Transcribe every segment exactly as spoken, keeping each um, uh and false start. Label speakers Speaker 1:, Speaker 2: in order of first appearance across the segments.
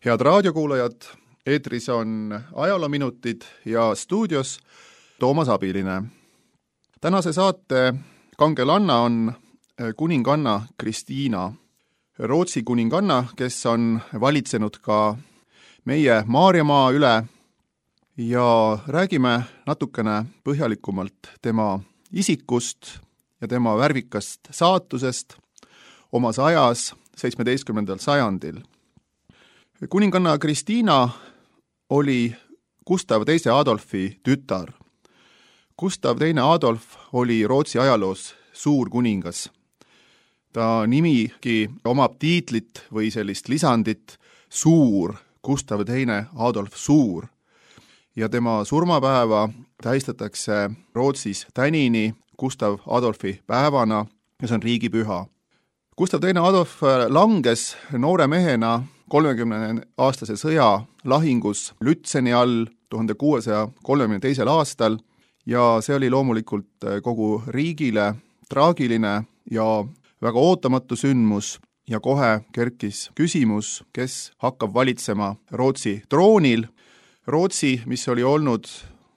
Speaker 1: Head raadiokuulajad, eetris on ajaloominutid ja stuudios Toomas Abiline. Tänase saate kangelanna on kuninganna Kristiina, Rootsi kuninganna, kes on valitsenud ka meie Maarjamaa üle, ja räägime natukene põhjalikumalt tema isikust ja tema värvikast saatusest omas ajas seitsmeteistkümnendal sajandil. Kuninganna Kristiina oli Gustav teise Adolfi tütar. Gustav teine Adolf oli Rootsi ajaloos suur kuningas. Ta nimigi omab tiitlit või sellist lisandit suur, Gustav teine Adolf suur. Ja tema surmapäeva tähistatakse Rootsis tänini Gustav Adolfi päevana, kes on riigipüha. Gustav teine Adolf langes noore mehena kolmekümne aastase sõja lahingus Lützeni all tuhande kuuesaja kolmekümne teisel aastal ja see oli loomulikult kogu riigile traagiline ja väga ootamatu sündmus ja kohe kerkis küsimus, kes hakkab valitsema Rootsi troonil. Rootsi, mis oli olnud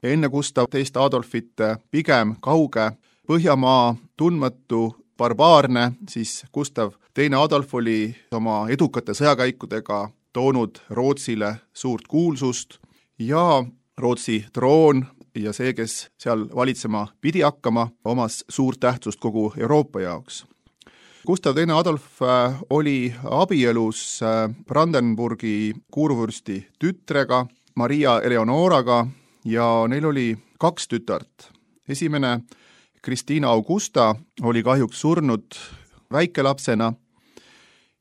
Speaker 1: enne Gustav teist Adolfit pigem kauge Põhjamaa, tundmatu, barbaarne, siis Gustav teine Adolf oli oma edukate sõjakäikudega toonud Rootsile suurt kuulsust ja Rootsi troon ja see, kes seal valitsema pidi hakkama, omas suurt tähtsust kogu Euroopa jaoks. Gustav teine Adolf oli abielus Brandenburgi kuurvürsti tütrega, Maria Eleonoraga, ja neil oli kaks tütart. Esimene, Kristiina Augusta, oli kahjuks surnud väikelapsena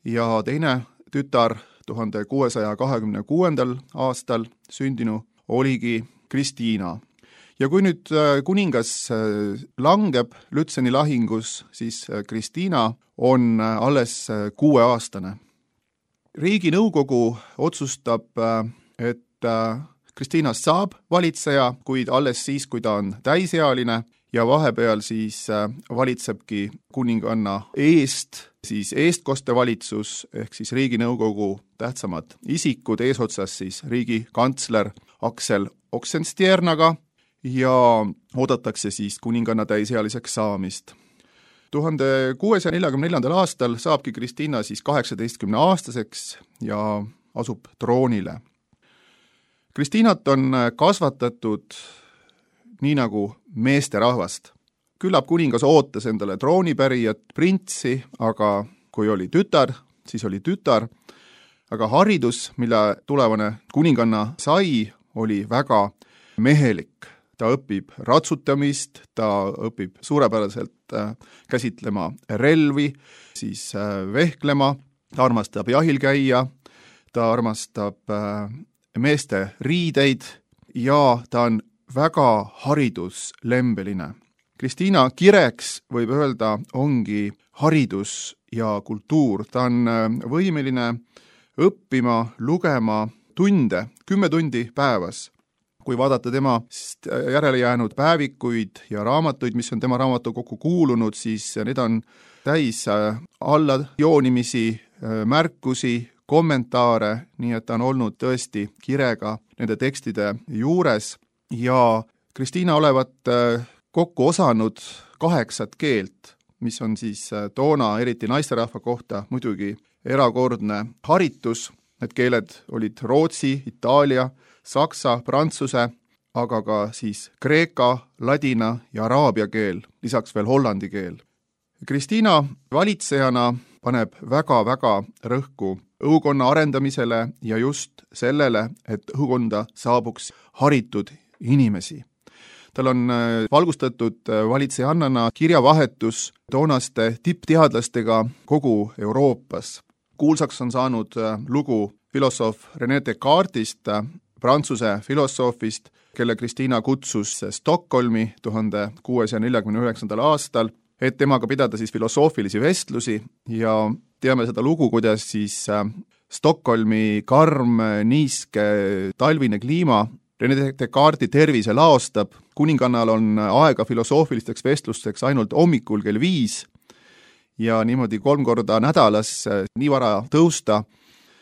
Speaker 1: ja teine tütar tuhande kuuesaja kahekümne kuuendal aastal sündinu oligi Kristiina. Ja kui nüüd kuningas langeb Lützeni lahingus, siis Kristiina on alles kuueaastane. Riiginõukogu otsustab, et Kristiinast saab valitseja, kuid alles siis, kui ta on täisealine, ja vahepeal siis valitsebki kuninganna eest, siis eestkostevalitsus ehk siis riiginõukogu tähtsamad isikud, eesotsas siis riigikantsler Aksel Oxenstiernaga ja oodatakse siis kuninganna täisealiseks saamist. tuhande kuuesaja neljakümne neljandal aastal saabki Kristiina siis kaheksateistkümne aastaseks ja asub troonile. Kristiinat on kasvatatud nii nagu meesterahvast. Küllap kuningas ootas endale troonipärijat, printsi, aga kui oli tütar, siis oli tütar. Aga haridus, mille tulevane kuninganna sai, oli väga mehelik. Ta õpib ratsutamist, ta õpib suurepäraselt käsitlema relvi, siis vehklema, ta armastab jahil käia, ta armastab meeste riideid ja ta on väga hariduslembeline. Kristiina kireks, võib öelda, ongi haridus ja kultuur. Ta on võimeline õppima, lugema tunde, kümme tundi päevas. Kui vaadata tema järele jäänud päevikuid ja raamatuid, mis on tema raamatukokku kuulunud, siis need on täis alla joonimisi, märkusi, kommentaare, nii et ta on olnud tõesti kirega nende tekstide juures. Ja Kristiina olevat kokku osanud kaheksat keelt, mis on siis toona eriti naisterahva kohta muidugi erakordne haritus. Need keeled olid rootsi, itaalia, saksa, prantsuse, aga ka siis kreeka, ladina ja araabia keel, lisaks veel hollandi keel. Kristiina valitsejana paneb väga-väga rõhku õukonna arendamisele ja just sellele, et õukonda saabuks haritud inimesi. Tal on valgustatud valitsejannana kirjavahetus toonaste tippteadlastega kogu Euroopas. Kuulsaks on saanud lugu filosoof René Descartes'ist, prantsuse filosoofist, kelle Kristiina kutsus Stockholmi tuhande kuuesaja neljakümne üheksandal aastal, et temaga pidada siis filosoofilisi vestlusi ja teame seda lugu, kuidas siis Stockholmi karm, niiske, talvine kliima René Descartesi tervise laostab. Kuningannal on aega filosoofilisteks vestlusteks ainult hommikul kell viis ja niimoodi kolm korda nädalas nii vara tõusta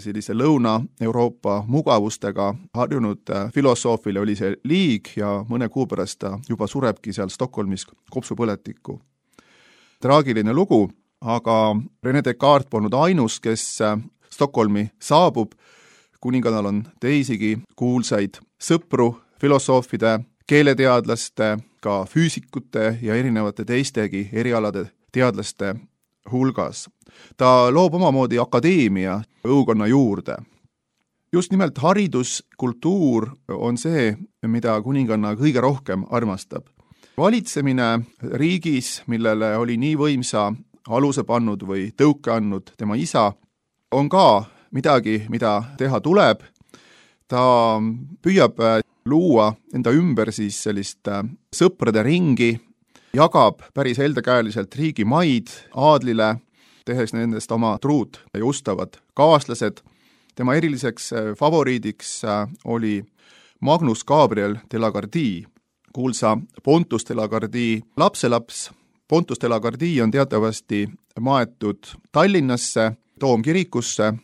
Speaker 1: sellise Lõuna-Euroopa mugavustega harjunud filosoofile oli see liig ja mõne kuu pärast ta juba surebki seal Stockholmis kopsupõletikku. Traagiline lugu, aga René Descartes polnud ainus, kes Stockholmi saabub. Kuningannal on teisigi kuulsaid sõpru, filosoofide, keeleteadlaste, ka füüsikute ja erinevate teistegi erialade teadlaste hulgas. Ta loob omamoodi akadeemia õukonna juurde. Just nimelt haridus, kultuur on see, mida kuninganna kõige rohkem armastab. Valitsemine riigis, millele oli nii võimsa aluse pannud või tõuke andnud tema isa, on ka midagi, mida teha tuleb. Ta püüab luua enda ümber siis sellist sõprade ringi, jagab päris heldekäeliselt riigi maid aadlile, tehes nendest oma truud ja ustavad kaaslased. Tema eriliseks favoriidiks oli Magnus Gabriel de la Gardie, kuulsa Pontus de la Gardie lapselaps. Pontus de la Gardie on teatavasti maetud Tallinnasse, Toomkirikusse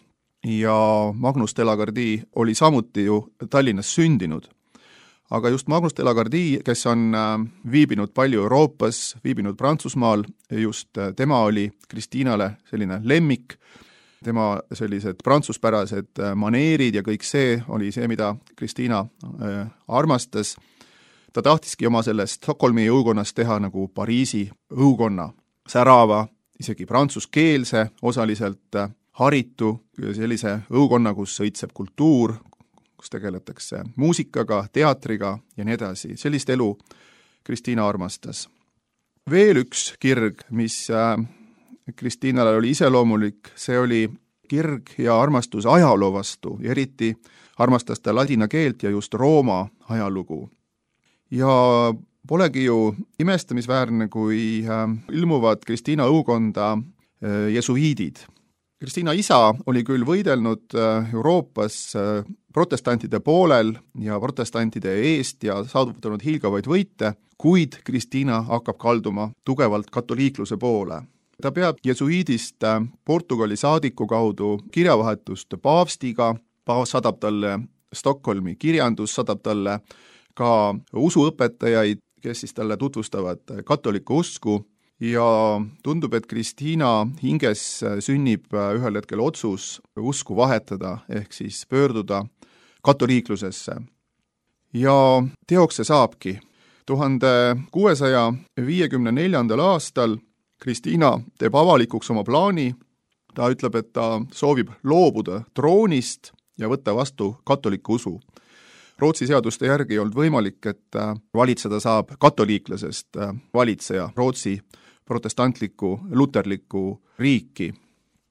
Speaker 1: ja Magnus de la Gardie oli samuti ju Tallinnas sündinud. Aga just Magnus de la Gardie, kes on viibinud palju Euroopas, viibinud Prantsusmaal, just tema oli Kristiinale selline lemmik, tema sellised prantsuspärased maneerid ja kõik see oli see, mida Kristiina armastas. Ta tahtiski oma sellest Stockholmi õukonnast teha nagu Pariisi õukonna, särava, isegi prantsuskeelse, osaliselt haritu, sellise õukonna, kus sõitseb kultuur, kus tegeletakse muusikaga, teatriga ja nii edasi. Sellist elu Kristiina armastas. Veel üks kirg, mis Kristiinale oli iseloomulik, see oli kirg ja armastus ajaloo vastu, ja eriti armastas ta ladina keelt ja just Rooma ajalugu. Ja polegi ju imestamisväärne, kui ilmuvad Kristiina õukonda jesuiidid. Kristiina isa oli küll võidelnud Euroopas protestantide poolel ja protestantide eest ja saavutanud hiilgavaid võite, kuid Kristiina hakkab kalduma tugevalt katoliikluse poole. Ta peab jesuiidist Portugali saadiku kaudu kirjavahetust paavstiga, paavst saadab talle Stockholmi kirjandus, saadab talle ka usuõpetajaid, kes siis talle tutvustavad katoliku usku, ja tundub, et Kristiina hinges sünnib ühel hetkel otsus usku vahetada, ehk siis pöörduda katoliiklusesse. Ja teoks see saabki. tuhande kuuesaja viiekümne neljandal aastal Kristiina teeb avalikuks oma plaani. Ta ütleb, et ta soovib loobuda troonist ja võtta vastu katoliku usu. Rootsi seaduste järgi ei olnud võimalik, et valitseda saab katoliiklasest valitseja Rootsi protestantliku, luterliku riiki.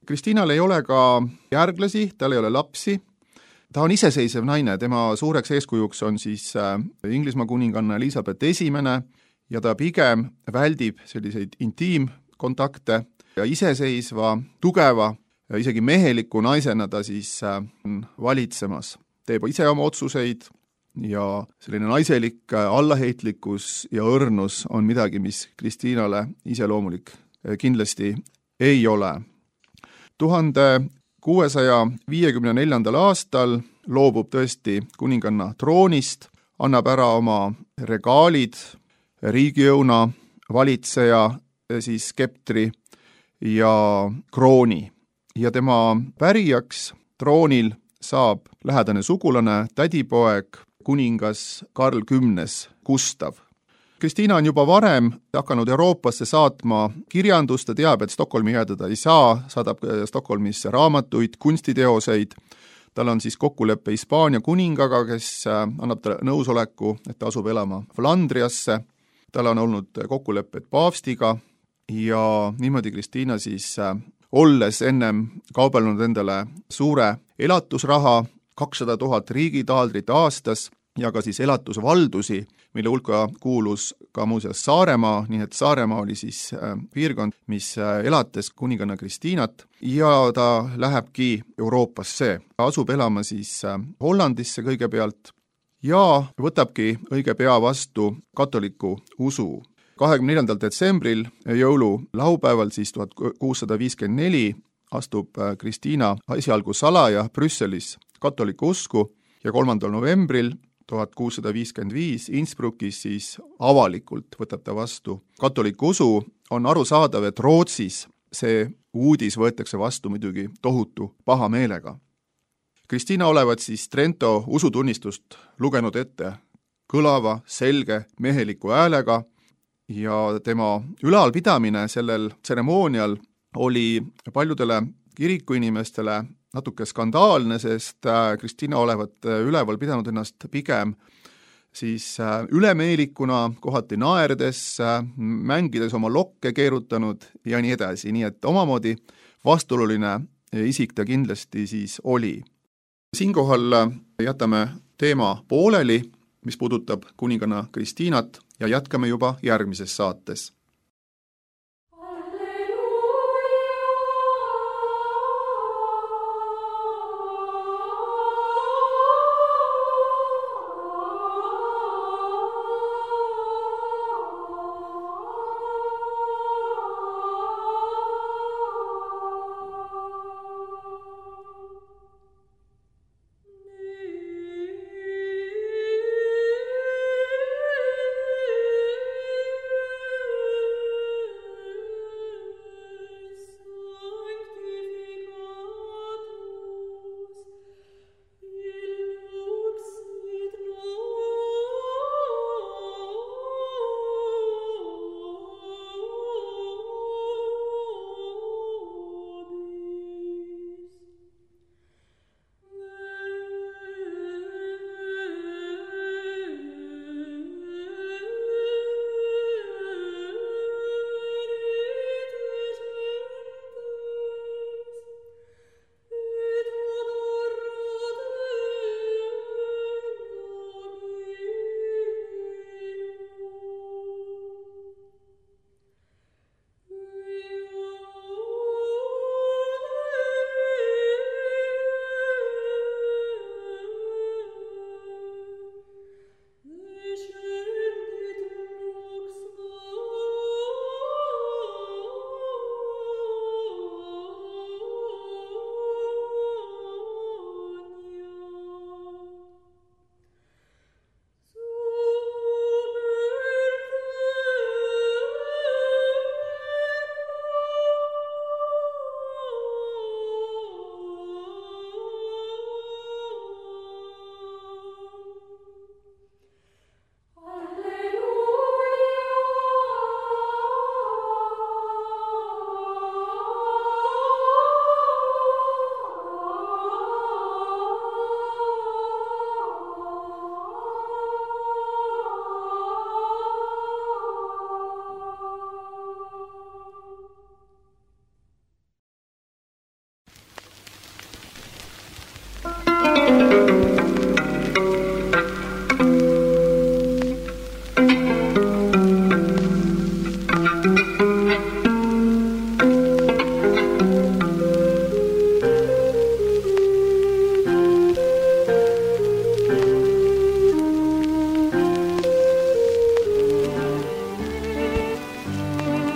Speaker 1: Kristiinal ei ole ka järglasi, tal ei ole lapsi. Ta on iseseisev naine, tema suureks eeskujuks on siis Inglismaa kuninganna Elisabeth esimene ja ta pigem väldib selliseid intiimkontakte ja iseseisva, tugeva ja isegi meheliku naisena ta siis valitsemas. Teeb ise oma otsuseid ja selline naiselik allaheitlikkus ja õrnus on midagi, mis Kristiinale iseloomulik kindlasti ei ole. tuhande kuuesaja viiekümne neljandal aastal loobub tõesti kuninganna troonist, annab ära oma regaalid, riigiõuna, valitseja, siis skeptri ja krooni. Ja tema pärijaks troonil saab lähedane sugulane, tädipoeg, kuningas Karl Kümnes Gustav. Kristiina on juba varem hakanud Euroopasse saatma kirjandust, ta teab, et Stockholmi jäädada ei saa, saadab Stockholmisse raamatuid, kunstiteoseid. Tal on siis kokkuleppe Hispaania kuningaga, kes annab ta nõusoleku, et ta asub elama Flandriasse. Tal on olnud kokkulepped paavstiga ja niimoodi Kristiina siis olles ennem kaubelnud endale suure elatusraha, kakssada tuhat riigitaaldrit aastas ja ka siis elatusvaldusi, mille hulka kuulus ka muuseas Saaremaa, nii et Saaremaa oli siis piirkond, mis elates kuninganna Kristiinat ja ta lähebki Euroopasse. Asub elama siis Hollandisse kõigepealt ja võtabki õige pea vastu katoliku usu. kahekümne neljandal detsembril jõulu laupäeval siis tuhat kuussada viiskümmend neli astub Kristiina esialgu salaja Brüsselis katoliku usku ja kolmandal novembril tuhat kuussada viiskümmend viis Innsbruckis siis avalikult võtab ta vastu katoliku usu. On arusaadav, et Rootsis see uudis võetakse vastu muidugi tohutu pahameelega. Kristiina olevat siis Trento usutunnistust lugenud ette kõlava, selge, meheliku häälega ja tema ülalpidamine sellel tseremoonial oli paljudele kirikuinimestele natuke skandaalne, sest Kristiina olevat üleval pidanud ennast pigem siis ülemeelikuna, kohati naerdes, mängides oma lokke keerutanud ja nii edasi, nii et omamoodi vastuoluline isik ta kindlasti siis oli. Siinkohal jätame teema pooleli, mis puudutab kuninganna Kristiinat ja jätkame juba järgmises saates.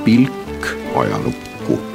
Speaker 2: Pilk ajalukku.